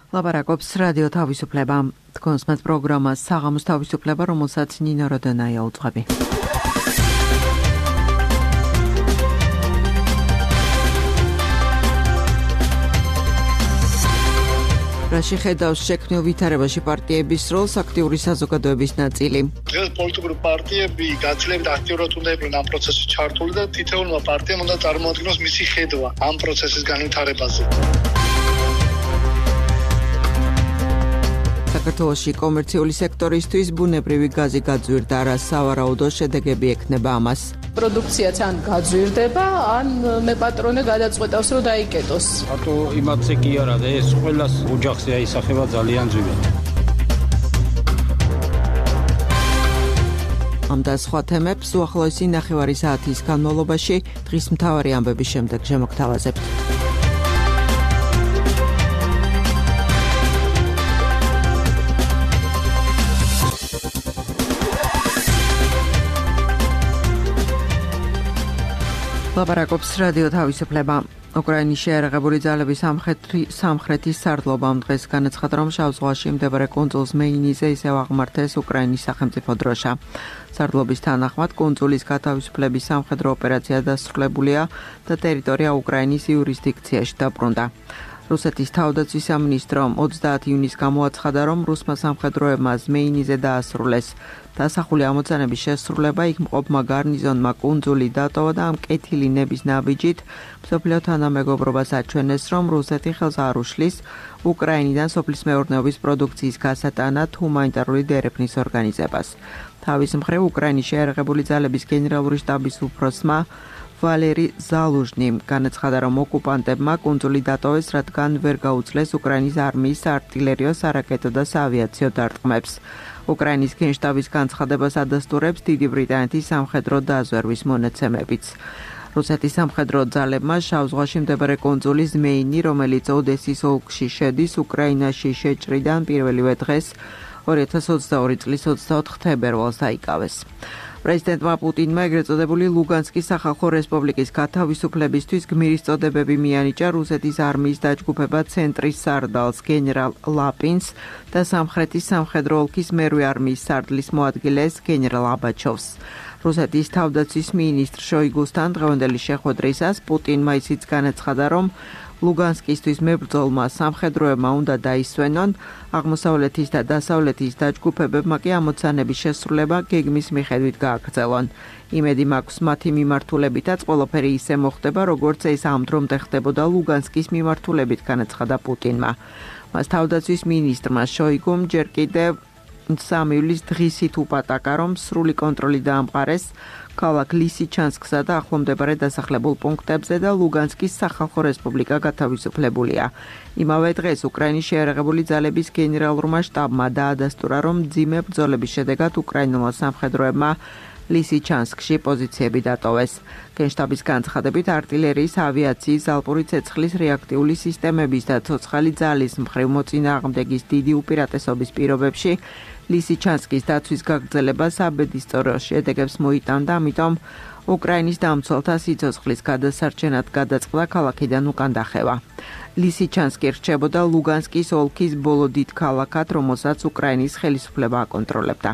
ლაპარაკობს რადიო თავისუფლება. თქვენს მათ პროგრამას საღამოს თავისუფლება, რომელსაც ნინო როდონაია უძღვები. რაში ხედავს შექმნილ ვითარებაში პარტიების როლს აქტიური საზოგადოების ნაწილი. დღეს პოლიტიკური პარტიები გაცილებით აქტიურად უნდა იყვნენ ამ პროცესში ჩართული და თითოეულმა პარტიამ უნდა წარმოადგინოს მისი ხედვა ამ პროცესის განვითარებაზე. საქართველოში კომერციული სექტორისთვის ბუნებრივი გაზი გაძვირდა, რა სავარაუდო შედეგები ექნება ამას. პროდუქციაც ან გაძვირდება, ან მე პატრონე გადაწყვეტავს, რომ დაიკეტოს. ატო იმათზე კი არა და ეს ყველას ოჯახზე აისახება ძალიან ძვირად. ამ და სხვა თემებს უახლოესი ნახევარი საათის განმავლობაში დღის მთავარი ამბების შემდეგ შემოგთავაზებთ. ლაპარაკობს რადიო თავისუფლება. უკრაინის შეიარაღებული ძალების სამხრეთის სარდლობამ დღეს განაცხადა, რომ შავ ზღვაში მდებარე კუნძულ ზმეინიზე ისევ აღმართეს უკრაინის სახელმწიფო დროშა. სარდლობის თანახმად კუნძულის გათავისუფლების სამხედრო ოპერაცია დასრულებულია და ტერიტორია უკრაინის იურისდიქციაში დაბრუნდა. რუსეთის თავდაცვის სამინისტრომ 30 ივნისს გამოაცხადა, რომ რუსმა სამხედროებმა ზმეინიზე დაასრულეს დასახული ამოცანების შესრულება, იქ მყოფმა გარნიზონმა კუნძული დატოვა და ამ კეთილი ნების ნაბიჯით მსოფლიო თანამეგობრობას აჩვენეს, რომ რუსეთი ხელს არ უშლის უკრაინიდან სოფლის მეურნეობის პროდუქციის გასატანად ჰუმანიტარული დერეფნის ორგანიზებას. თავის მხრივ უკრაინის შეიარაღებული ძალების გენერალური შტაბის უფროსმა ვალერი ზალუჟნიმ განაცხადა, რომ ოკუპანტებმა კუნძული დატოვეს, რადგან ვერ გაუძლეს უკრაინის არმიის საარტილერიო, სარაკეტო და საავიაციო დარტყმებს. უკრაინის გენშტაბის განცხადებას ადასტურებს დიდი ბრიტანეთის სამხედრო დაზვერვის მონაცემებიც. რუსეთის სამხედრო ძალებმა შავ ზღვაში მდებარე კუნძული ზმეინი, რომელიც ოდესის ოლქში შედის, უკრაინაში შეჭრიდან პირველივე დღეს 2022 წლის 24 თებერვალს დაიკავეს. პრეზიდენტმა პუტინმა ეგრეთ წოდებული ლუგანსკის სახალხო რესპუბლიკის გათავისუფლებისთვის გმირის წოდებები მიანიჭა რუსეთის არმიის დაჯგუფება ცენტრის სარდალს გენერალ ლაპინს და სამხრეთის სამხედრო ოლქის მერვე არმიის სარდლის მოადგილეს გენერალ აბაჩოვს. რუსეთის თავდაცვის მინისტრ შოიგუსთან დღევანდელი შეხვედრისას პუტინმა ისიც განაცხადა, რომ ლუგანსკისთვის მებრძოლმა სამხედროებმა უნდა დაისვენონ, აღმოსავლეთის და დასავლეთის დაჯგუფებებმა კი ამოცანების შესრულება გეგმის მიხედვით გააგრძელონ. იმედი მაქვს მათი მიმართულებითაც ყველაფერი ისე მოხდება, როგორც ეს ამ დრომდე ხდებოდა ლუგანსკის მიმართულებით, განაცხადა პუტინმა. მას თავდაცვის მინისტრმა შოიგუმ ჯერ კიდევ 3 ივლისს დღისით უპატაკა, რომ სრული კონტროლი დაამყარეს ქალაქ ლისიჩანსკსა და ახლომდებარე დასახლებულ პუნქტებზე და ლუგანსკის სახალხო რესპუბლიკა გათავისუფლებულია. იმავე დღეს უკრაინის შეიარაღებული ძალების გენერალურმა შტაბმა დაადასტურა, რომ მძიმე ბრძოლების შედეგად უკრაინულმა სამხედროებმა ლისიჩანსკში პოზიციები დატოვეს. გენშტაბის განცხადებით არტილერიის, ავიაციის, ალპური ცეცხლის, რეაქტიული სისტემების და ცოცხალი ძალის მხრივ მოწინააღმდეგის დიდი უპირატესობის პირობებში ლისიჩანსკის დაცვის გაგრძელება საბედისწერო შედეგებს მოიტანდა, ამიტომ უკრაინის დამცველთა სიცოცხლის გადასარჩენად გადაწყდა ქალაქიდან უკან დახევა. ლისიჩანსკი რჩებოდა ლუგანსკის ოლქის ბოლო დიდ ქალაქად, რომელსაც უკრაინის ხელისუფლება აკონტროლებდა.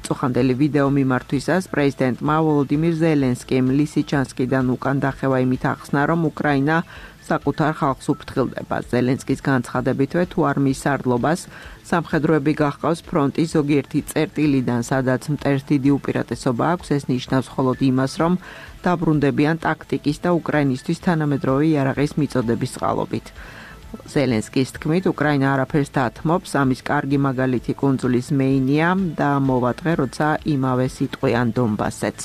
წუხანდელი ვიდეო მიმართვისას პრეზიდენტმა ვოლოდიმირ ზელენსკიმ ლისიჩანსკიდან უკან დახევა იმით ახსნა, რომ უკრაინა საკუთარ ხალხს უფრთხილდება. ზელენსკის განცხადებითვე თუ არმიის სარდლობას სამხედროები გახყავს ფრონტის ზოგიერთი წერტილიდან, სადაც მტერს დიდი უპირატესობა აქვს, ეს ნიშნავს მხოლოდ იმას, რომ დაბრუნდებიან ტაქტიკის და უკრაინისთვის თანამედროვე იარაღის მიწოდების წყალობით. ზელენსკის თქმით, უკრაინა არაფერს დათმობს, ამის კარგი მაგალითი კუნძულის მეინია და მოვატყე, როცა იმავე სიტყვიან დონბასets.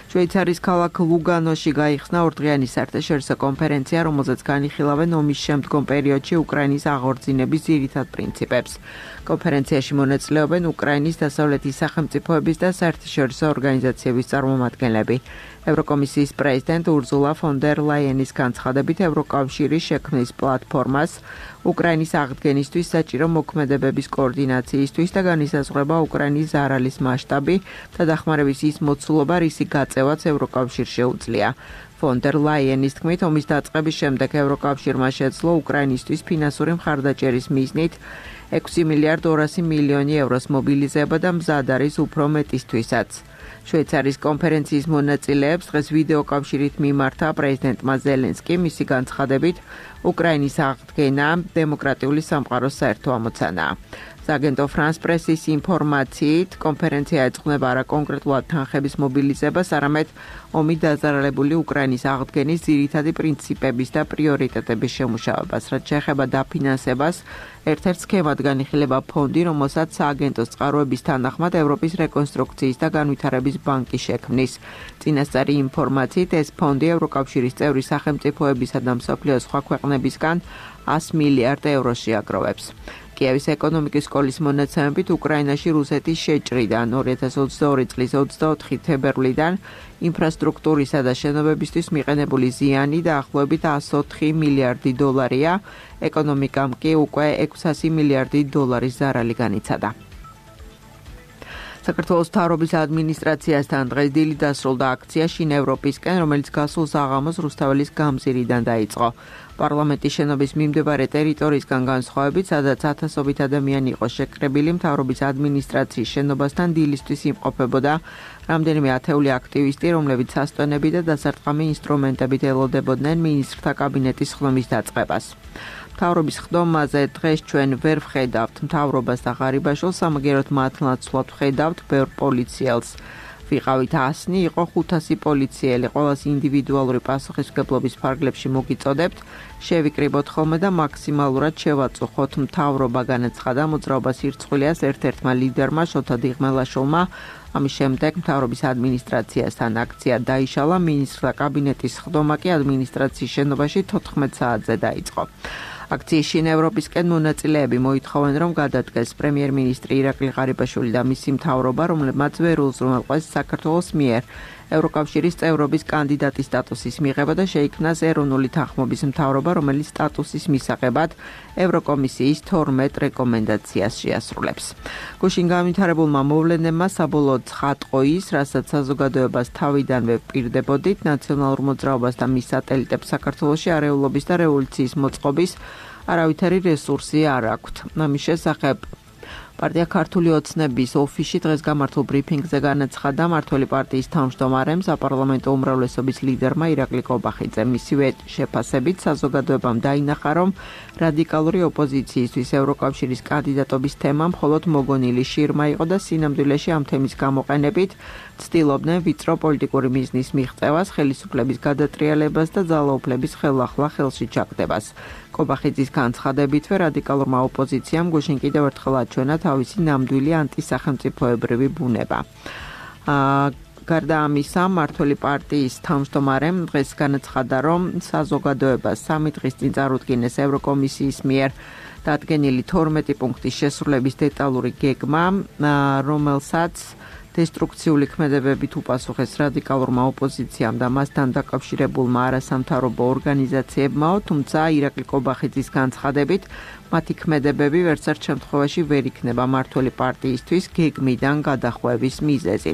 შვეიცარიის ქალაქ ლუგანოში გაიხსნა ორდღიანი საერთაშორისო კონფერენცია, რომელზეც განიხილავენ ომის შემდგომ პერიოდში უკრაინის აღორძინების ძირითად პრინციპებს. კონფერენციაში მონაწილეობენ უკრაინის დასავლეთის სახელმწიფოების და საერთაშორისო ორგანიზაციების წარმომადგენლები. ევროკომისიის პრეზიდენტ ურზულა ფონ დერ ლაიენის განცხადებით, ევროკავშირი შექმნის პლატფორმას უკრაინის აღდგენისთვის საჭირო მოქმედებების კოორდინაციისთვის და განისაზღვრება უკრაინის ზარალის მასშტაბი და დახმარების ის მოცულობა, რისი გაწევაც ევროკავშირს შეუძლია. Von der Leyenis თქმით, ომის დაწყების შემდეგ ევროკავშირმა შეძლო უკრაინისთვის ფინანსური მხარდაჭერის მიზნით 6 მილიარდ 200 მილიონი ევროს მობილიზება და მზად არის უფრო მეტისთვისაც. შვეიცარიის კონფერენციის მონაწილეებს დღეს ვიდეოკავშირით მიმართა პრეზიდენტმა ზელენსკიმ მისი განცხადებით, უკრაინის აღდგენა დემოკრატიული სამყაროს საერთო ამოცანაა. აგენტო ფრანს პრესის ინფორმაციით, კონფერენცია ეძღვნება არა კონკრეტულად თანხების მობილიზებას, არამედ ომით დაზარალებული უკრაინის აღდგენის ძირითადი პრინციპების და პრიორიტეტების შემუშავებას. რაც შეეხება დაფინანსებას, ერთ-ერთ სქემად განიხილება ფონდი, რომელსაც სააგენტოს წყაროების თანახმად ევროპის რეკონსტრუქციის და განვითარების ბანკი შექმნის. წინასწარი ინფორმაციით, ეს ფონდი ევროკავშირის წევრი სახელმწიფოებისა და მსოფლიოს სხვა ქვეყნებისგან 100 მილიარდ ევროს შეაგროვებს. კიევის ეკონომიკის სკოლის მონაცემებით უკრაინაში რუსეთის შეჭრიდან 2022 წლის 24 თებერვლიდან ინფრასტრუქტურისა და შენობებისთვის მიყენებული ზიანი დაახლოებით 104 მილიარდი დოლარია, ეკონომიკამ კი უკვე 600 მილიარდი დოლარის ზარალი განიცადა. საქართველოს მთავრობის ადმინისტრაციასთან დღეს დილით დასრულდა აქცია შინ ევროპისკენ, რომელიც გასულ საღამოს რუსთაველის გამზირიდან დაიწყო. პარლამენტის შენობის მიმდებარე ტერიტორიისგან განსხვავებით, სადაც ათასობით ადამიანი იყო შეკრებილი, მთავრობის ადმინისტრაციის შენობასთან დილისთვის იმყოფებოდა რამდენიმე ათეული აქტივისტი, რომლებიც სასტვენები და დასარტყამი ინსტრუმენტებით ელოდებოდნენ მინისტრთა კაბინეტის ხდომის დაწყებას. მთავრობის ხდომაზე დღეს ჩვენ ვერ ვხედავთ მთავრობას და ღარიბაშვილს, სამაგიეროდ მათ ნაცვლად ვხედავთ ბევრ პოლიციელს. ვიყავით 100, იყო 500 პოლიციელი, ყოველას ინდივიდუალური პასუხისმგებლობის ფარგლებში მოგიწოდებთ, შევიკრიბოთ ხოლმე და მაქსიმალურად შევაწუხოთ. მთავრობა განაცხადა მოძრაობას ირწყვილიას ერთ-ერთმა ლიდერმა შოთა დიღმელაშვილმა. ამის შემდეგ მთავრობის ადმინისტრაციასთან აქცია დაიშალა, მინისტრთა კაბინეტის ხდომა კი ადმინისტრაციის შენობაში 14 საათზე დაიწყო. აქციის შინ ევროპისკენ მონაწილეები მოითხოვენ, რომ გადადგეს პრემიერ-მინისტრი ირაკლი ღარიბაშვილი და მისი მთავრობა, რომლებმაც ვერ უზრუნველყვეს საქართველოს მიერ ევროკავშირის წევრობის კანდიდატის სტატუსის მიღება და შეიქმნას ეროვნული თანხმობის მთავრობა, რომელიც სტატუსის მისაღებად ევროკომისიის 12 რეკომენდაციას შეასრულებს. გუშინ განვითარებულმა მოვლენებმა საბოლოოდ ცხადყო ის, რასაც საზოგადოებას თავიდანვე პირდებოდით, ნაციონალურ მოძრაობას და მის სატელიტებს საქართველოში არეულობის და რევოლუციის მოწყობის არავითარი რესურსი არ აქვთ. ამის შესახებ პარტია ქართული ოცნების ოფისში დღეს გამართულ ბრიფინგზე განაცხადა მმართველი პარტიის თავმჯდომარემ, საპარლამენტო უმრავლესობის ლიდერმა ირაკლი კობახიძემ. მისივე შეფასებით საზოგადოებამ დაინახა, რომ რადიკალური ოპოზიციისთვის ევროკავშირის კანდიდატობის თემა მხოლოდ მოგონილი შირმა იყო და სინამდვილეში ამ თემის გამოყენებით ცდილობდნენ ვიწრო პოლიტიკური მიზნის მიღწევას, ხელისუფლების გადატრიალებას და ძალაუფლების ხელახლა ხელში ჩაგდებას. კობახიძის განცხადებითვე რადიკალურმა ოპოზიციამ გუშინ კიდევ ერთხელ აჩვენა თავისი ნამდვილი ანტისახელმწიფოებრივი ბუნება. გარდა ამისა, მმართველი პარტიის თავმჯდომარემ დღეს განაცხადა, რომ საზოგადოებას 3 დღის წინ წარუდგინეს ევროკომისიის მიერ დადგენილი 12 პუნქტის შესრულების დეტალური გეგმა, რომელსაც დესტრუქციული ქმედებებით უპასუხეს რადიკალურმა ოპოზიციამ და მასთან დაკავშირებულმა არასამთავრობო ორგანიზაციებმა, თუმცა ირაკლი კობახიძის განცხადებით მათი ქმედებები ვერცერთ შემთხვევაში ვერ იქნება მმართველი პარტიისთვის გეგმიდან გადახვევის მიზეზი.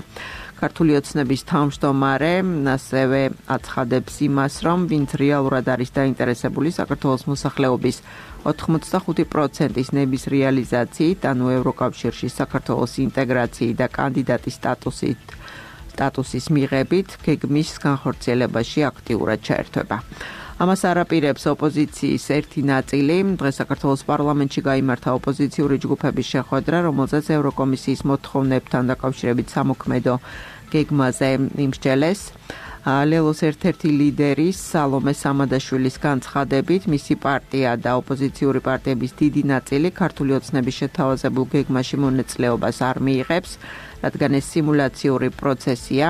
ქართული ოცნების თავმჯდომარე ასევე აცხადებს იმას, რომ ვინც რეალურად არის დაინტერესებული საქართველოს მოსახლეობის 85%-ის ნების რეალიზაციით, ანუ ევროკავშირში საქართველოს ინტეგრაციით და კანდიდატის სტატუსის მიღებით, გეგმის განხორციელებაში აქტიურად ჩაერთვება. ამას არაპირებს ოპოზიციის ერთი ნაწილი. დღეს საქართველოს პარლამენტში გაიმართა ოპოზიციური ჯგუფების შეხვედრა, რომელზეც ევროკომისიის მოთხოვნებთან დაკავშირებით სამოქმედო გეგმაზე იმსჯელეს. ლელოს ერთ-ერთი ლიდერის სალომე სამადაშვილის განცხადებით, მისი პარტია და ოპოზიციური პარტიების დიდი ნაწილი ქართული ოცნების შეთავაზებულ გეგმაში მონაწილეობას არ მიიღებს, რადგან ეს სიმულაციური პროცესია.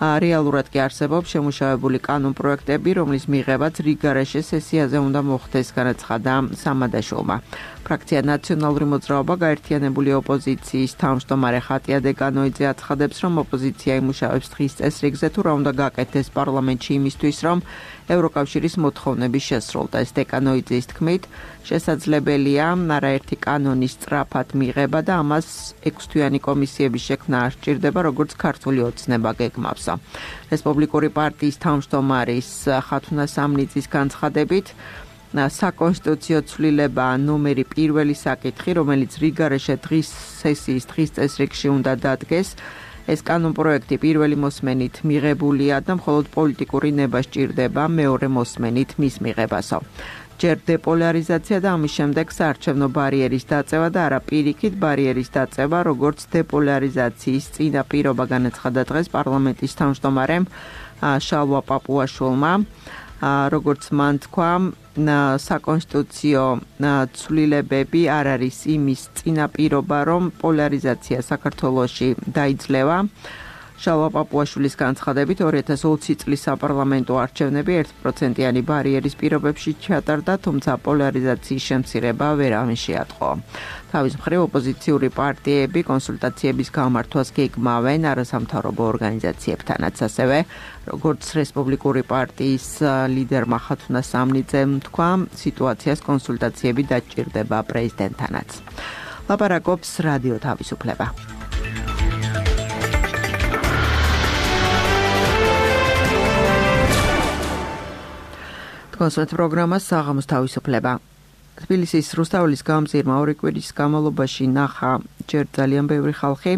რეალურად კი არსებობს შემუშავებული კანონპროექტები, რომლის მიღებაც რიგ გარეშე სესიაზე უნდა მოხდეს, განაცხადა სამადაშვილმა. ფრაქცია ნაციონალური მოძრაობა გაერთიანებული ოპოზიციის თავმჯდომარე ხატია დეკანოიძე აცხადებს, რომ ოპოზიცია იმუშავებს დღის წესრიგზე თუ რა უნდა გაკეთდეს პარლამენტში იმისთვის, რომ ევროკავშირის მოთხოვნები შესრულდეს. დეკანოიძის თქმით, შესაძლებელია არაერთი კანონის სწრაფად მიღება და ამას 6-თვიანი კომისიების შექმნა არ სჭირდება, როგორც ქართული ოცნება გეგმავსა. რესპუბლიკური პარტიის თავმჯდომარის ხათუნა სამნიძის განცხადებით, საკონსტიტუციო ცვლილება ნომერი პირველი საკითხი, რომელიც რიგარეშე დღის სესიის დღის წესრიგში უნდა დადგეს, ეს კანონპროექტი პირველი მოსმენით მიღებულია და მხოლოდ პოლიტიკური ნება სჭირდება მეორე მოსმენით მის მიღებასო. ჯერ დეპოლარიზაცია და ამის შემდეგ საარჩევნო ბარიერის დაწევა და არა პირიქით ბარიერის დაწევა, როგორც დეპოლარიზაციის წინაპირობა განაცხადა დღეს პარლამენტის თავმჯდომარემ შალვა პაპუაშვილმა. როგორც მან თქვა, საკონსტიტუციო ცვლილებები არ არის იმის წინაპირობა, რომ პოლარიზაცია საქართველოში დაიძლევა. შალვა პაპუაშვილის განცხადებით 2020 წლის საპარლამენტო არჩევნები 1%-იანი ბარიერის პირობებში ჩატარდა, თუმცა პოლარიზაციის შემცირება ვერავინ შეატყო. თავის მხრივ ოპოზიციური პარტიები კონსულტაციების გამართვას გეგმავენ არასამთავრობო ორგანიზაციებთანაც, ასევე როგორც რესპუბლიკური პარტიის ლიდერმა ხათუნა სამნიძემ თქვა, სიტუაციას კონსულტაციები დაჭირდება პრეზიდენტთანაც. ლაპარაკობს რადიო თავისუფლება. კონსულტ პროგრამა საღამოს თავისუფლება. თბილისის რუსთაველის გამზირმა 2 კვირის განმავლობაში ნახა ჯერ ძალიან ბევრი ხალხი,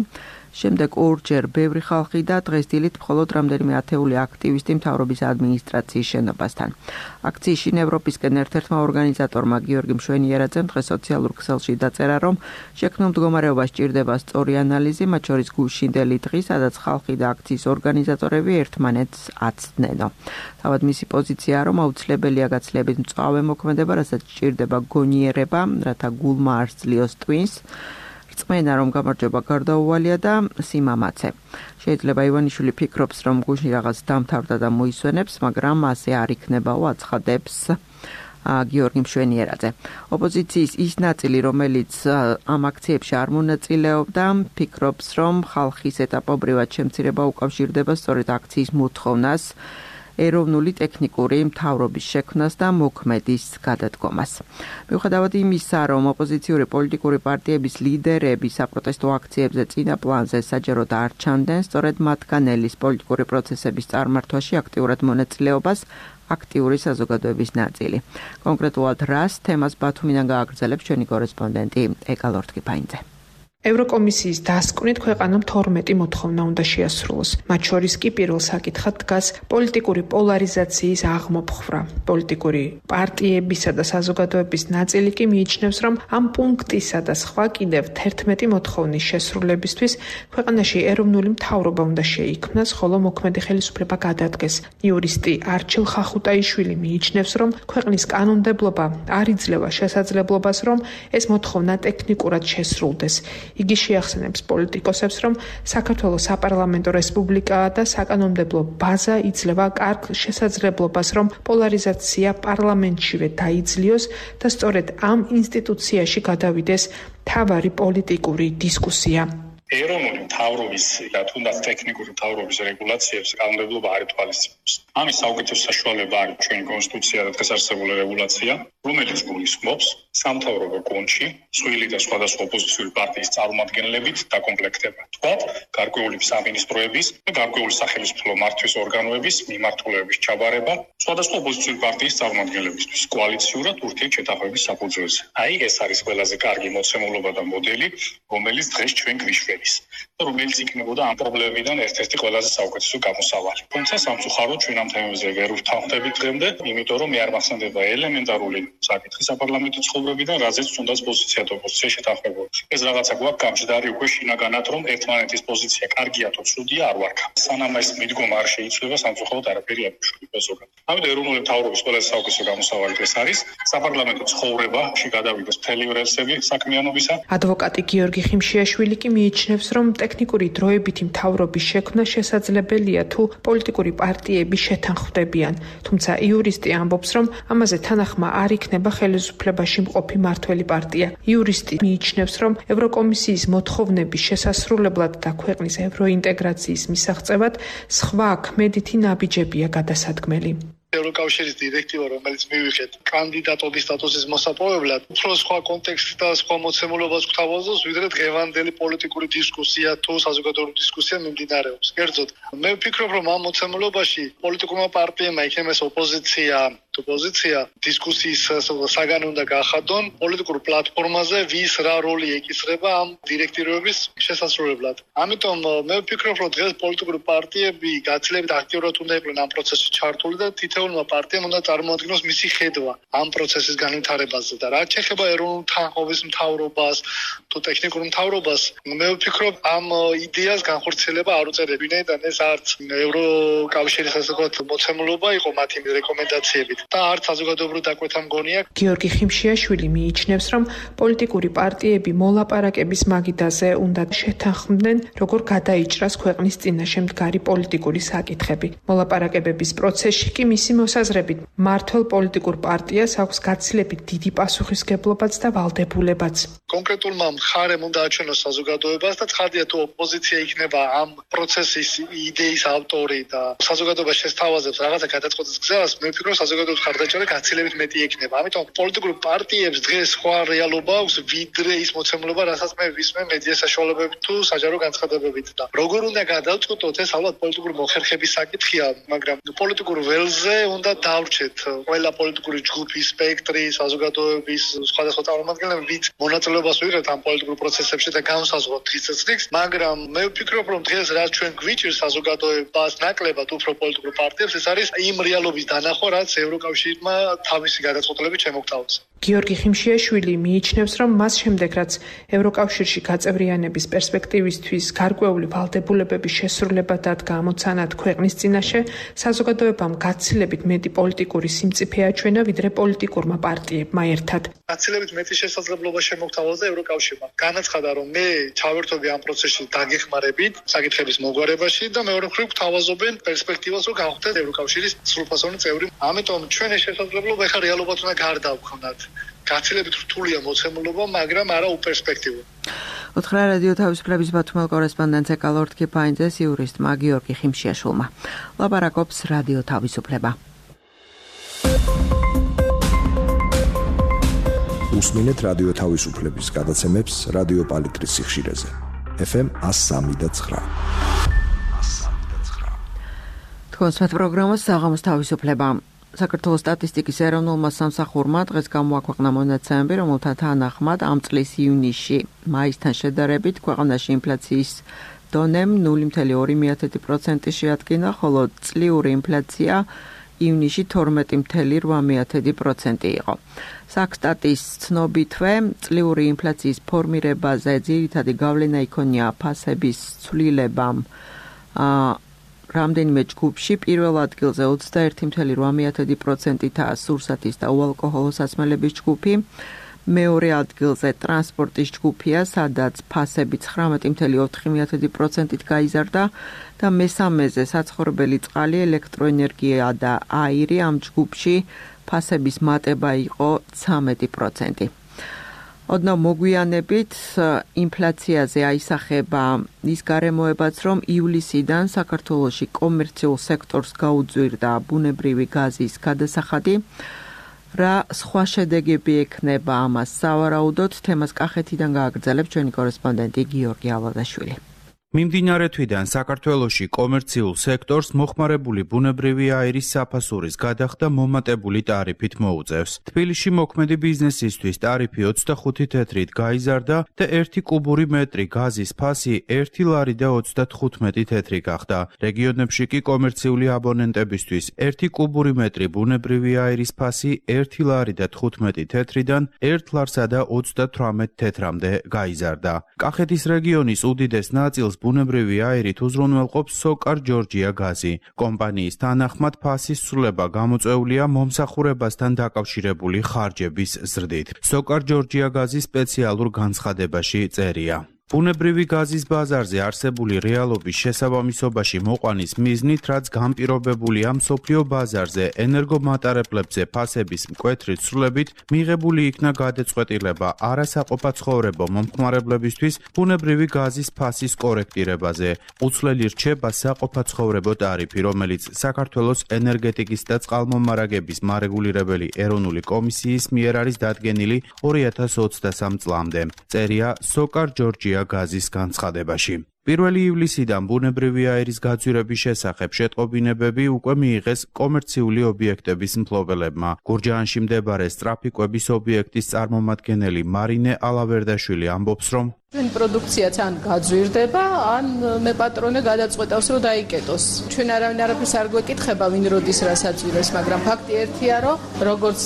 შემდეგ ორჯერ ბევრი ხალხი და დღეს დილით მხოლოდ რამდენიმე ათეული აქტივისტი მთავრობის ადმინისტრაციის შენობასთან. აქციის შინ ევროპისკენ ერთ-ერთმა ორგანიზატორმა გიორგი მშვენიერაძემ დღეს სოციალურ ქსელში დაწერა, რომ შექმნილ მდგომარეობას სჭირდება სწორი ანალიზი, მათ შორის გუშინდელი დღი, სადაც ხალხი და აქციის ორგანიზატორები ერთმანეთს აცდნენო. თავად მისი პოზიციაა, რომ აუცილებელია გაცილებით მწვავე მოქმედება, რასაც სჭირდება გონიერება, რათა გულმა არ სძლიოს ტვინს. რწმენა, რომ გამარჯვება გარდაუვალია და სიმამაცე. შეიძლება ივანიშვილი ფიქრობს, რომ გუშინ რაღაც დამთავრდა და მოისვენებს, მაგრამ ასე არ იქნებაო, აცხადებს გიორგი მშვენიერაძე. ოპოზიციის ის ნაწილი, რომელიც ამ აქციებში არ მონაწილეობდა, ფიქრობს, რომ ხალხის ეტაპობრივად შემცირება უკავშირდება სწორედ აქციის მოთხოვნას, ეროვნული ტექნიკური მთავრობის შექმნას და მოქმედის გადადგომას. მიუხედავად იმისა, რომ ოპოზიციური პოლიტიკური პარტიების ლიდერები საპროტესტო აქციებზე წინა პლანზე საჯაროდ არ ჩანდნენ, სწორედ მათგან ელის პოლიტიკური პროცესების წარმართვაში აქტიურად მონაწილეობას აქტიური საზოგადოების ნაწილი. კონკრეტულად რას თემას ბათუმიდან გააგრძელებს ჩვენი კორესპონდენტი ეკა ლორთქიფაინძე. ევროკომისიის დასკვნით ქვეყანამ 12 მოთხოვნა უნდა შეასრულოს. მათ შორის კი პირველ საკითხად დგას პოლიტიკური პოლარიზაციის აღმოფხვრა. პოლიტიკური პარტიებისა და საზოგადოების ნაწილი კი მიიჩნევს, რომ ამ პუნქტისა და სხვა კიდევ 11 მოთხოვნის შესრულებისთვის ქვეყანაში ეროვნული მთავრობა უნდა შეიქმნას, ხოლო მოქმედი ხელისუფლება გადადგეს. იურისტი არჩილ ხახუტაიშვილი მიიჩნევს, რომ ქვეყნის კანონმდებლობა არ იძლევა შესაძლებლობას, რომ ეს მოთხოვნა ტექნიკურად შესრულდეს. იგი შეახსენებს პოლიტიკოსებს, რომ საქართველოს საპარლამენტო რესპუბლიკაა და საკანონმდებლო ბაზა იძლევა კარგ შესაძლებლობას, რომ პოლარიზაცია პარლამენტშივე დაიძლიოს და სწორედ ამ ინსტიტუციაში გადავიდეს მთავარი პოლიტიკური დისკუსია. ეროვნული მთავრობის და თუნდაც ტექნიკური მთავრობის რეგულაციებს კანონმდებლობა არ ითვალისწინებს. ამის საუკეთესო საშუალება არის ჩვენი კონსტიტუცია და დღეს არსებული რეგულაცია, რომელიც გულისხმობს სამთავრობო კონჩი მსხვილი და სხვადასხვა ოპოზიციური პარტიის წარმომადგენლებით დაკომპლექტება. თქვათ, გარკვეული სამინისტროების და გარკვეული სახელმწიფო მართვის ორგანოების მიმართულების ჩაბარება სხვადასხვა ოპოზიციური პარტიის წარმომადგენლებისთვის კოალიციურად ურთიერთშეთანხმების საფუძველზე. აი ეს არის ყველაზე კარგი მოცემულობა და მოდელი, რომელიც დღეს ჩვენ გვიშვენის და რომელიც იქნებოდა ამ პრობლემებიდან ერთ-ერთი ყველაზე საუკეთესო გამოსავალი. თუმცა სამწუხაროდ ჩვენ ამ თემებზე ვერ ვთანხმდებით დღემდე, იმიტომ რომ მე არ მახსენდება ელემენტარული საკითხი საპარლამენტო ცხოვრებიდან, რაზეც თუნდაც პოზიცია და ოპოზიცია შეთანხმებოდა. ეს რაღაცა გვაქვს გამჯდარი უკვე შინაგანად, რომ ერთმანეთის პოზიცია კარგია თუ ცუდია არ ვარქა. სანამ ეს მიდგომა არ შეიცვლება, სამწუხაროდ არაფერი არ შეგვიძლია ზოგადად. ამიტომ ეროვნული მთავრობის ყველაზე საუკეთესო გამოსავალი ეს არის საპარლამენტო ცხოვრებაში გადავიდეს მთელი რელსები საქმიანობისა. ადვოკატი გიორგი ხიმშიაშვილი კი მიიჩნევს, მიიჩნევს, რომ ტექნიკური დროებითი მთავრობის შექმნა შესაძლებელია თუ პოლიტიკური პარტიები შეთანხმდებიან, თუმცა იურისტი ამბობს, რომ ამაზე თანახმა არ იქნება ხელისუფლებაში მყოფი მართველი პარტია. იურისტი მიიჩნევს, რომ ევროკომისიის მოთხოვნების შესასრულებლად და ქვეყნის ევროინტეგრაციის მისაღწევად სხვა ქმედითი ნაბიჯებია გადასადგმელი. ევროკავშირის დირექტივა, რომელიც მივიღეთ კანდიდატობის სტატუსის მოსაპოვებლად, უფრო სხვა კონტექსტი და სხვა მოცემულობას გვთავაზობს, ვიდრე დღევანდელი პოლიტიკური დისკუსია თუ საზოგადოებრივი დისკუსია მიმდინარეობს. კერძოდ, მე ვფიქრობ, რომ ამ მოცემულობაში პოლიტიკურმა პარტიებმა, იქნება ეს ოპოზიცია თუ პოზიცია, დისკუსიის საგანი უნდა გაახადონ პოლიტიკურ პლატფორმაზე, ვის რა როლი ეკისრება ამ დირექტივების შესასრულებლად. ამიტომ მე ვფიქრობ, რომ დღეს პოლიტიკური პარტიები გაცილებით აქტიურად უნდა იყვნენ ამ პროცესში ჩართული და თითოეულმა პარტიამ უნდა წარმოადგინოს მისი ხედვა ამ პროცესის განვითარებაზე და რაც შეეხება ეროვნულ თანხმობის მთავრობას თუ ტექნიკურ მთავრობას, მე ვფიქრობ, ამ იდეას განხორციელება არ უწევდები და ეს არც ევროკავშირის ასე ვთქვათ მოცემულობა იყო მათი რეკომენდაციებით და არც საზოგადოებრივ დაკვეთა მგონია. გიორგი ხიმშიაშვილი მიიჩნევს, რომ პოლიტიკური პარტიები მოლაპარაკების მაგიდაზე უნდა შეთანხმდნენ, როგორ გადაიჭრას ქვეყნის წინაშე მდგარი პოლიტიკური საკითხები. მოლაპარაკებების პროცესში კი მისი მოსაზრებით მართლ პოლიტიკურ პარტიას აქვს გაცილებით დიდი პასუხისგებლობაც და ვალდებულებაც. კონკრეტულმა მხარემ უნდა აჩვენოს საზოგადოებას და ცხადია თუ ოპოზიცია იქნება ამ პროცესის იდეის ავტორი და საზოგადოებას შესთავაზებს რაღაცა გადაწყვეტის გზას, მე ვფიქრობ საზოგადოების მხარდაჭერა გაცილებით მეტი იქნება. ამიტომ პოლიტიკურ პარტიებს დღეს სხვა რეალობა აქვს, ვიდრე ის მოცემულობა, რასაც მე ვისმე მედია საშუალებებით თუ საჯარო განცხადებებით და როგორ უნდა გადავწყვეტოთ, ეს ალბათ პოლიტიკური მოხერხების საკითხია, მაგრამ პოლიტიკურ ველზე უნდა დავრჩეთ ყველა პოლიტიკური ჯგუფი, სპექტრი, საზოგადოების სხვადასხვა წარმომადგენლები, ვით მონაწილეობას ვიღებთ ამ პოლიტიკურ პროცესებში და განსაზღვრავთ დღის წესრიგს, მაგრამ მე ვფიქრობ, რომ დღეს რაც ჩვენ გვიჭირს საზოგადოებას ნაკლებად უფრო პოლიტიკურ პარტიებს, ეს არის იმ რეალობის დანახვა, რაც ევროკავშირმა თავისი გადაწყვეტილებით შემოგთავაზა. გიორგი ხიმშიაშვილი მიიჩნევს, რომ მას შემდეგ, რაც ევროკავშირში გაწევრიანების პერსპექტივისთვის გარკვეული ვალდებულებების შესრულება დადგა ამოცანად ქვეყნის წინაშე, საზოგადოებამ გაცილებით მეტი პოლიტიკური სიმწიფე აჩვენა, ვიდრე პოლიტიკურმა პარტიებმა ერთად. გაცილებით მეტი შესაძლებლობა შემოგთავაზა ევროკავშირმა. განაცხადა, რომ მე ჩავერთობი ამ პროცესში დაგეხმარებით საკითხების მოგვარებაში და მეორე მხრივ გვთავაზობენ პერსპექტივას, რომ გავხდეთ ევროკავშირის სრულფასოვანი წევრი. ამიტომ ჩვენ ეს შესაძლებლობა ეხლა რეალობად უნდა გარდავქმნათ. გაცილებით რთულია მოცემულობა, მაგრამ არა უპერსპექტივო. უთხრა რადიო თავისუფლების ბათუმელ კორესპონდენტს ეკალორდ კიფაინძეს იურისტმა გიორგი ხიმშიაშვილმა. ლაპარაკობს რადიო თავისუფლება. უსმინეთ რადიო თავისუფლების გადაცემებს რადიო პალიტრის სიხშირეზე. FM 103.9. თქვენს პროგრამას საღამოს თავისუფლება. საქართველოს სტატისტიკის ეროვნულმა სამსახურმა დღეს გამოაქვეყნა მონაცემები, რომელთა თანახმად ამ წლის ივნისში მაისთან შედარებით ქვეყანაში ინფლაციის დონემ 0.2% შეადგინა, ხოლო წლიური ინფლაცია ივნისში 12.8% იყო. საქსტატის ცნობითვე წლიური ინფლაციის ფორმირებაზე ძირითადი გავლენა იქონია ფასების ცვლილებამ. რამდენიმე ჯგუფში პირველ ადგილზე 21.8%-აა სურსათის და უალკოჰოლო სასმელების ჯგუფი, მეორე ადგილზე ტრანსპორტის ჯგუფია, სადაც ფასები 19.4%-ით გაიზარდა და მესამეზე საცხოვრებელი წყალი, ელექტროენერგია და აირი, ამ ჯგუფში ფასების მატება იყო 13%. ოდნავ მოგვიანებით ინფლაციაზე აისახება ის გარემოებაც, რომ ივლისიდან საქართველოში კომერციულ სექტორს გაუძვირდა ბუნებრივი გაზის გადასახადი. რა სხვა შედეგები ექნება ამას სავარაუდოდ, თემას კახეთიდან გააგრძელებს ჩვენი კორესპონდენტი გიორგი ალადაშვილი. მიმდინარე თვიდან საქართველოში კომერციულ სექტორს მოხმარებული ბუნებრივი აირის საფასურის გადახდა მომატებული ტარიფით მოუწევს. თბილისში მოქმედი ბიზნესისთვის ტარიფი 25 თეთრით გაიზარდა და 1 კუბური მეტრი გაზის ფასი 1 ლარი და 35 თეთრი გახდა. რეგიონებში კი კომერციული აბონენტებისთვის 1 კუბური მეტრი ბუნებრივი აირის ფასი 1 ლარი და 15 თეთრიდან 1 ლარსა და 38 თეთრამდე გაიზარდა. კახეთის რეგიონის უდიდეს ნაწილს ბუნებრივი აირით უზრუნველყოფს სოკარ ჯორჯია გაზი. კომპანიის თანახმად ფასის ცვლილება გამოწვეულია მომსახურებასთან დაკავშირებული ხარჯების ზრდით. სოკარ ჯორჯია გაზის სპეციალურ განცხადებაში წერია. ბუნებრივი გაზის ბაზარზე არსებული რეალობის შესაბამისობაში მოყვანის მიზნით, რაც განპირობებულია მსოფლიო ბაზარზე ენერგომატარებლებზე ფასების მკვეთრი ცვლილებით, მიღებული იქნა გადაწყვეტილება არასაყოფაცხოვრებო მომხმარებლებისთვის ბუნებრივი გაზის ფასის კორექტირებაზე. უცვლელი რჩება საყოფაცხოვრებო ტარიფი, რომელიც საქართველოს ენერგეტიკის და წყალმომარაგების მარეგულირებელი ეროვნული კომისიის მიერ არის დადგენილი 2023 წლამდე. წერია სოკარ ჯორჯია გაზის განცხადებაში. 1 ივლისიდან ბუნებრივი აირის გაძვირების შესახებ შეტყობინებები უკვე მიიღეს კომერციული ობიექტების მფლობელებმა. გურჯაანში მდებარე სწრაფიკვების ობიექტის წარმომადგენელი მარინე ალავერდაშვილი ამბობს, რომ ჩვენ პროდუქციაც ან გაძვირდება, ან მე პატრონე გადაწყვეტავს, რომ დაიკეტოს. ჩვენ არაფერს არ გვეკითხება, ვინ როდის რას აწვირებს, მაგრამ ფაქტი ერთია, რომ როგორც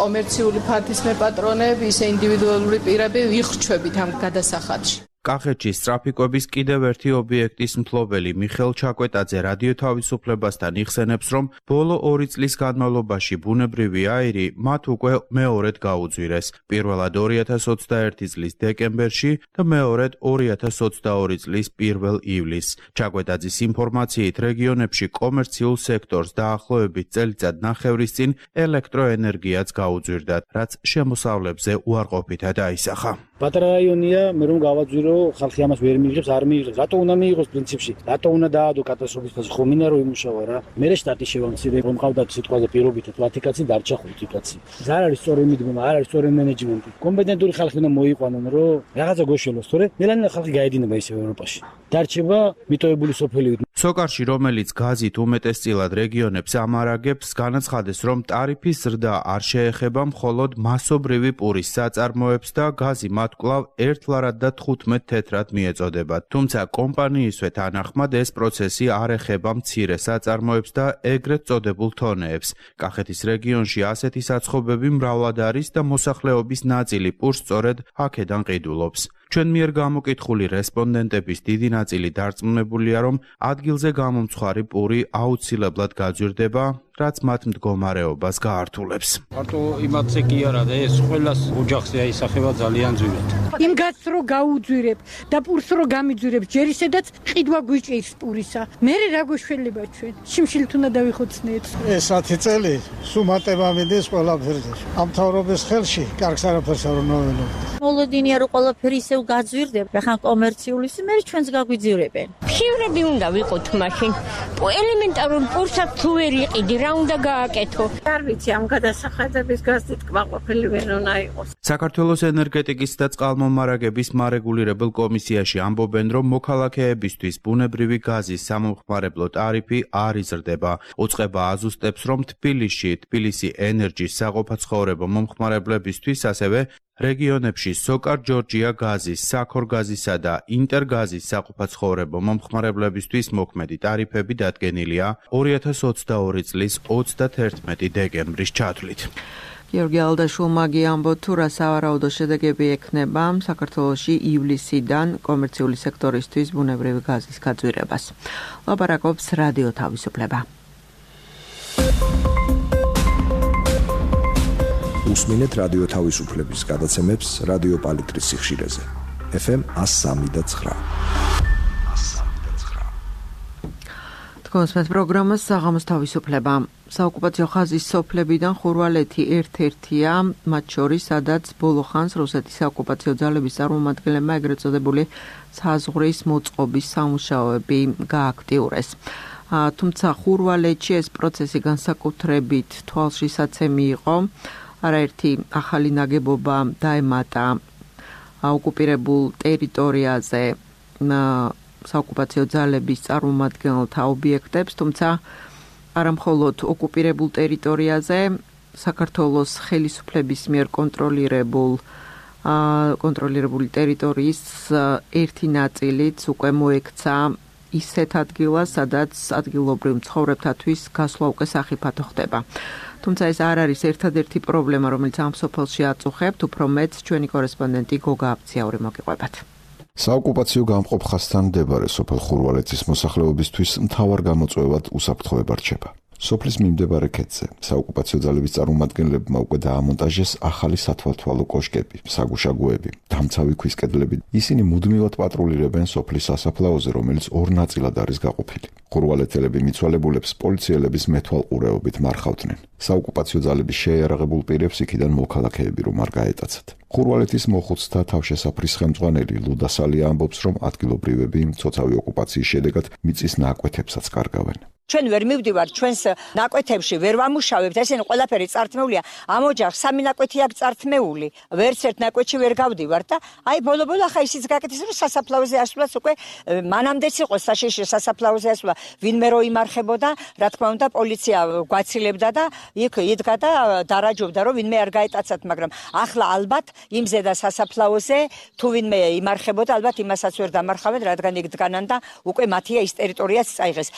კომერციული ფართის მე პატრონები, ისე ინდივიდუალური პირები ვიხრჩვებით ამ გადასახადში. კახეთში სწრაფიკვების კიდევ ერთი ობიექტის მფლობელი მიხელ ჩაკვეტაძე რადიო თავისუფლებასთან იხსენებს, რომ ბოლო 2 წლის განმავლობაში ბუნებრივი აირი მათ უკვე მეორედ გაუძვირეს. პირველად 2021 წლის დეკემბერში და მეორედ 2022 წლის 1 ივლისს. ჩაკვეტაძის ინფორმაციით, რეგიონებში კომერციულ სექტორს დაახლოებით წელიწად ნახევრის წინ ელექტროენერგიაც გაუძვირდათ, რაც შემოსავლებზე უარყოფითად აისახა. პატარა რაიონია, მე რომ გავაძვირო, ხალხი ამას ვერ მიიღებს, არ მიიღებს. რატო უნდა მიიღოს პრინციპში? რატო უნდა დაადო კატასტროფის ფასი? ხომ მინდა რომ იმუშავა რა. მე შტატი შევამცირე, რომ ყავდათ სიტყვაზე პირობითად 10 კაცი დარჩა 5 კაცი. არ არის სწორი მიდგომა, არ არის სწორი მენეჯმენტი. კომპეტენტური ხალხი უნდა მოიყვანონ, რომ რაღაცა გოშელოს, თორე ნელანელა ხალხი გაედინება ისევ ევროპაში. დარჩება მიტოვებული სოფელი. სოკარში, რომელიც გაზით უმეტესწილად რეგიონებს ამარაგებს, განაცხადეს, რომ ტარიფის ზრდა არ შეეხება მხოლოდ მასობრივი პურის საწარმოებს და გაზი მათ კვლავ 1 ლარად და 15 თეთრად მიეწოდებათ. თუმცა კომპანიისვე თანახმად ეს პროცესი არ ეხება მცირე საწარმოებს და ეგრეთ წოდებულ თონეებს. კახეთის რეგიონში ასეთი საცხობები მრავლად არის და მოსახლეობის ნაწილი პურს სწორედ აქედან ყიდულობს. ჩვენ მიერ გამოკითხული რესპონდენტების დიდი ნაწილი დარწმუნებულია, რომ ადგილზე გამომცხვარი პური აუცილებლად გაძვირდება, რაც მათ მდგომარეობას გაართულებს. მარტო იმათზე კი არა და ეს ყველას ოჯახზე აისახება ძალიან ძვირად. იმ გაზს რო გაუძვირებ და პურს რო გამიძვირებ, ჯერ ისედაც ყიდვა გვიჭირს პურისა. მე რა გვეშველება ჩვენ? შიმშილით უნდა დავიხოცნეთ. ეს 10 წელი სუმატება მიდის ყველაფერზე. ამ თავრობის ხელში კარგს არაფერს არ ნოველო. მოლოდინია რომ ყველაფერი ისევ გაძვირდება, ხან კომერციული მე ჩვენს გაგვიძვირებენ. ფივრები უნდა ვიყოთ მაშინ. ელემენტარულ პურსაც თუ ვერ იყიდი, რა უნდა გააკეთო? არ ვიცი ამ გადასახადების გაზით კმაყოფილი ვერ უნდა იყოს. საქართველოს ენერგეტიკის და წყალმომარაგების მარეგულირებელ კომისიაში ამბობენ, რომ მოქალაქეებისთვის ბუნებრივი გაზის სამომხმარებლო ტარიფი არ იზრდება. უწყება აზუსტებს, რომ თბილისი ენერჯის საყოფაცხოვრებო მომხმარებლებისთვის, ასევე რეგიონებში სოკარ ჯორჯია გაზის, საქორგაზისა და ინტერგაზის საყოფაცხოვრებო მომხმარებლებისთვის მოქმედი ტარიფები დადგენილია 2022 წლის 31 დეკემბრის ჩათვლით. გიორგი ალდაშვილმა ამბო თუ რა სავარაუდო შედეგები ექნება საქართველოში ივლისიდან კომერციული სექტორისთვის ბუნებრივი გაზის გაძვირებას. ლაპარაკობს რადიო თავისუფლება. უსმინეთ რადიო თავისუფლების გადაცემებს რადიო პალიტრის სიხშირეზე. FM 103.9. თქვენს პროგრამას საღამოს თავისუფლება. საოკუპაციო ხაზის სოფლებიდან ხურვალეთი ერთ-ერთია, მათ შორის, სადაც ბოლო ხანს რუსეთის საოკუპაციო ძალების წარმომადგენლებმა ეგრეთ წოდებული საზღვრის მოწყობის სამუშაოები გააქტიურეს. თუმცა ხურვალეთში ეს პროცესი განსაკუთრებით თვალშისაცემი იყო. არაერთი ახალი ნაგებობა დაემატა ოკუპირებულ ტერიტორიაზე საოკუპაციო ძალების წარმომადგენელთა ობიექტებს, თუმცა არა მხოლოდ ოკუპირებულ ტერიტორიაზე, საქართველოს ხელისუფლების მიერ კონტროლირებული ტერიტორიის ერთი ნაწილიც უკვე მოექცა ისეთ ადგილას, სადაც ადგილობრივ მცხოვრებთათვის გასვლა უკვე სახიფათო ხდება. თუმცა ეს არ არის ერთადერთი პრობლემა, რომელიც ამ სოფელში აწუხებთ, უფრო მეტ ჩვენი კორესპონდენტი გოგა აბციური მოგიყვებათ. საოკუპაციო გამყოფ ხაზთან მდებარე სოფელ ხურვალეთის მოსახლეობისთვის მთავარ გამოწვევად უსაფრთხოება რჩება. სოფლის მიმდებარე ქედზე საოკუპაციო ძალების წარმომადგენლებმა უკვე დაამონტაჟეს ახალი სათვალთვალო კოშკები, საგუშაგოები, დამცავი ქვის კედლები. ისინი მუდმივად პატრულირებენ სოფლის სასაფლაოზე, რომელიც ორ ნაწილად არის გაყოფილი. ხურვალეთელები მიცვალებულებს პოლიციელების მეთვალყურეობით მარხავდნენ. საოკუპაციო ძალების შეიარაღებულ პირებს იქიდან მოქალაქეები რომ არ გაეტაცათ. ხურვალეთის მოხუცთა თავშესაფრის ხელმძღვანელი ლუდა სალია ამბობს, რომ ადგილობრივები მცოცავი ოკუპაციის შედეგად მიწის ნაკვეთებსაც კარგავენ. ჩვენ ვერ მივდივართ ჩვენს ნაკვეთებში, ვერ ვამუშავებთ, ესენი ყველაფერი წართმეულია. ამ ოჯახს 3 ნაკვეთი აქვს წართმეული. ვერც ერთ ნაკვეთში ვერ გავდივართ და აი ბოლო-ბოლო ახლა ისიც გაკეთეს, რომ სასაფლაოზე ასვლას უკვე მანამდეც იყო საშიში სასაფლაოზე ასვლა. ვინმე რო იმარხებოდა, რა თქმა უნდა, პოლიცია გვაცილებდა და იქ იდგა და დარაჯობდა, რომ ვინმე არ გაეტაცათ, მაგრამ ახლა ალბათ იმ ზედა სასაფლაოზე თუ ვინმე იმარხებოდა, ალბათ იმასაც ვერ დამარხავენ, რადგან იქ დგანან და უკვე მათია ის ტერიტორიაც წაიღეს.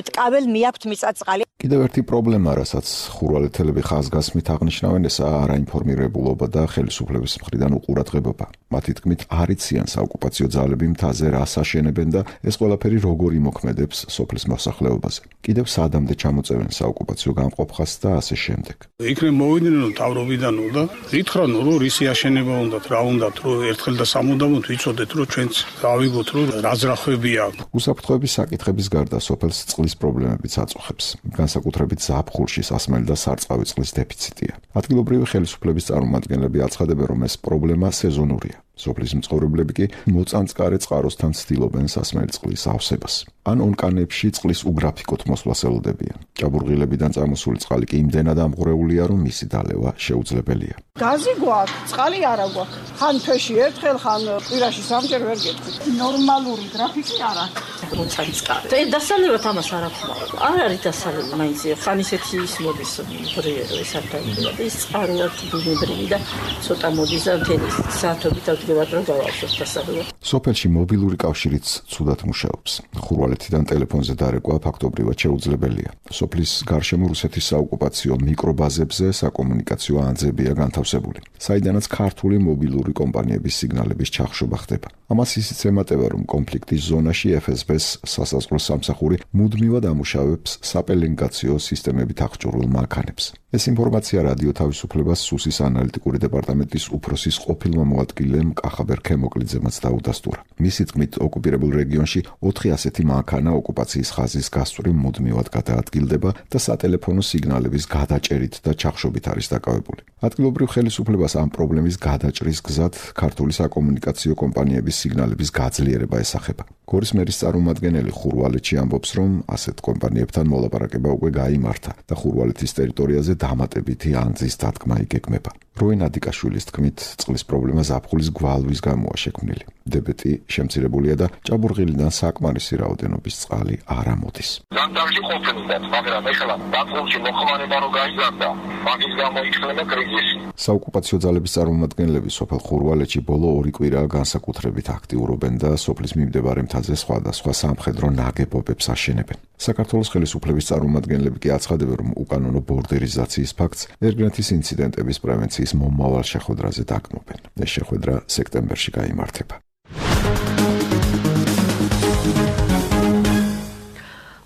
მტკაվել მიაქვთ მიწაწყალი. კიდევ ერთი პრობლემა, რასაც ხურვალეთელები ხაზგასმით აღნიშნავენ, ესაა არაინფორმირებულობა და ხელისუფლების მხრიდან უყურადღებობა. მათი თქმით, არ იციან საოკუპაციო ძალები მთაზე რას აშენებენ და ეს ყველაფერი როგორ იმოქმედებს სოფლის მოსახლეობაზე. კიდევ სადამდე ჩამოწევენ საოკუპაციო გამყოფხას და ასე შემდეგ. იქნებ მოვიდნენ თავრობიდან და ითხრან, რომ რისი აშენება უნდათ, რა უნდათ, რომ ერთხელ და სამუდამოდ ვიცოდეთ, რომ ჩვენც გავიგოთ, რომ რა ძრახვები აქვს. უსაფრთხოების საკითხების გარდა სოფელს წყლის პრობლემებიც აწუხებს. განსაკუთრებით ზაფხულში სასმელი და სარწყავი წყლის დეფიციტია. ადგილობრივი ხელისუფლების წარმომადგენლები აცხადებენ, რომ ეს პრობლემა სეზონურია. სოფლის მცხოვრებლები კი მოწამწყარე წყაროსთან ცდილობენ სასმელი წყლის ავსებას. ან ონკანებში წყლის უგრაფიკოთ მოსვლას ელოდებიან. ჭაბურღილებიდან წამოსული წყალი კი იმდენად ამღვრეულია, რომ მისი დალევა შეუძლებელია. გაზი გვაქვს, წყალი არა გვაქვს. ხან თვეში ერთხელ, ხან კვირაში 3-ჯერ ვერ გეტყვით. ნორმალური გრაფიკი არ აქვს. მოწამწყარე. დასალევად ამას არ აქვს. არ არის დასალევი მაინც. ხან ისეთი ის მოდის ბრიერო ეს არ დაიწყება. ის წყაროა ბუნებრივი და ცოტა მოდის და მთელი საათობით რომ გავავსოთ დასალევად. სოფელში მობილური კავშირიც ცუდად მუშაობს. ხურვალეთიდან ტელეფონზე დარეკვა ფაქტობრივად შეუძლებელია. სოფლის გარშემო რუსეთის საოკუპაციო მიკრობაზებზე საკომუნიკაციო ანძებია განთავსებული, საიდანაც ქართული მობილური კომპანიების სიგნალების ჩახშობა ხდება. ამას ისიც ემატება, რომ კონფლიქტის ზონაში FSB-ს სასაზღვრო სამსახური მუდმივად ამუშავებს საპელინგაციო სისტემებით აღჭურვილ მანქანებს. ეს ინფორმაცია რადიო თავისუფლებას სუსის ანალიტიკური დეპარტამენტის უფროსის ყოფილმა მოადგილემ კახაბერ ქემოკლიძემაც დაუდასტურა. მისი თქმით, ოკუპირებულ რეგიონში 4 ასეთი მანქანა ოკუპაციის ხაზის გასწვრივ მუდმივად გადაადგილდება და სატელეფონო სიგნალების გადაჭერით და ჩახშობით არის დაკავებული. ადგილობრივ ხელისუფლებას ამ პრობლემის გადაჭრის გზად ქართული საკომუნიკაციო კომპანიების სიგნალების გაძლიერება ესახება. გორის მერის წარმომადგენელი ხურვალეთში ამბობს, რომ ასეთ კომპანიებთან მოლაპარაკება უკვე გაიმართა და ხურვალეთის ტერიტორიაზე დამატებითი ანძის დადგმა იგეგმება. როინ ადიკაშვილის თქმით, წყლის პრობლემა ზაფხულის გვალვის გამოა შექმნილი. დებეტი შემცირებულია და ჭაბურღილიდან საკმარისი რაოდენობის წყალი არ ამოდის. ზამთარში ყოფილდათ, მაგრამ ეხლა ზაფხულში მოხმარება რო გაიზარდა, მაგის გამო იქნება კრიზისი. საოკუპაციო ძალების წარმომადგენლები სოფელ ხურვალეთში ბოლო 2 კვირაა განსაკუთრებით აქტიურობენ და სოფლის მიმდებარე მთაზე სხვადასხვა სამხედრო ნაგებობებს აშენებენ. საქართველოს ხელისუფლების წარმომადგენლები კი აცხადებენ, რომ უკანონო ბორდერიზაციის ფაქტს ერგრენთის ინციდენტების პრევენციის მომავალ შეხვედრაზე დაგმობენ. ეს შეხვედრა სექტემბერში გაიმართება.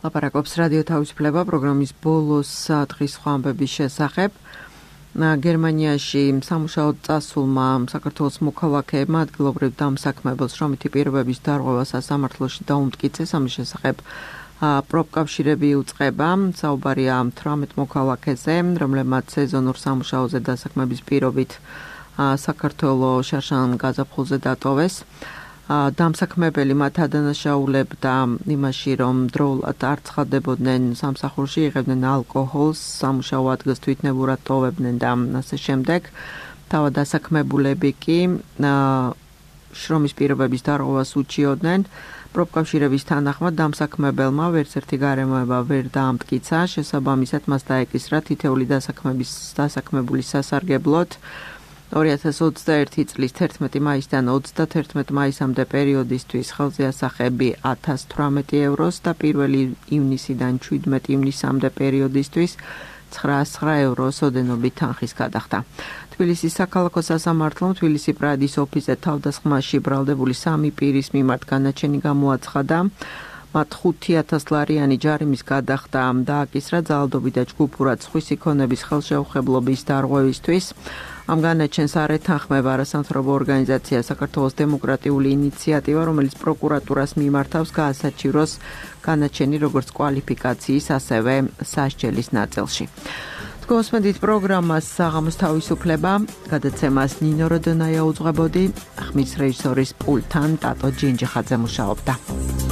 ლაპარაკობს რადიო თავისუფლება პროგრამის ბოლოს დღის სხვა ამბების შესახებ. გერმანიაში სამუშაო წასულმა საქართველოს მოქალაქეებმა ადგილობრივ დამსაქმებელს შრომითი პირობების დარღვევა სასამართლოში დაუმტკიცეს. ამის შესახებ პროფკავშირები უწყება. საუბარია 18 მოქალაქეზე, რომლებმაც სეზონურ სამუშაოზე დასაქმების პირობით საქართველოს შარშან გაზაფხულზე დატოვეს. დამსაქმებელი მათ ადანაშაულებდა იმაში, რომ დროულად არ ცხადდებოდნენ სამსახურში, იღებდნენ ალკოჰოლს, სამუშაო ადგილს თვითნებურად ტოვებდნენ და ასე შემდეგ. თავად დასაქმებულები კი შრომის პირობების დარღვევას უჩიოდნენ. პროფკავშირების თანახმად დამსაქმებელმა ვერცერთი გარემოება ვერ დაამტკიცა, შესაბამისად მას დაეკისრა თითეული დასაქმებულის სასარგებლოდ 2021 წლის 11 მაისიდან 31 მაისამდე პერიოდისთვის ხელზე ასახები 1018 ევროს და 1 ივნისიდან 17 ივნისამდე პერიოდისთვის 909 ევროს ოდენობით თანხის გადახდა. თბილისის საქალაქო სასამართლომ თბილისი პრადის ოფისზე თავდასხმაში ბრალდებული 3 პირის მიმართ განაჩენი გამოაცხადა. მათ 5,000 ლარიანი ჯარიმის გადახდა დააკისრა ძალადობი და ჯგუფურად სხვისი ქონების ხელშეუხებლობის დარღვევისთვის. ამ განაჩენს არ ეთანხმება არასამთავრობო ორგანიზაცია საქართველოს დემოკრატიული ინიციატივა, რომელიც პროკურატურას მიმართავს გაასაჩივროს განაჩენი როგორც კვალიფიკაციის, ასევე სასჯელის ნაწილში. Თქვენს პროგრამას საღამოს თავისუფლება, გადაცემას ნინო როდონაია უძღვებოდი, ხმის რეჟისორის პულტთან ტატო ჯინჯიხაძე მუშაობდა.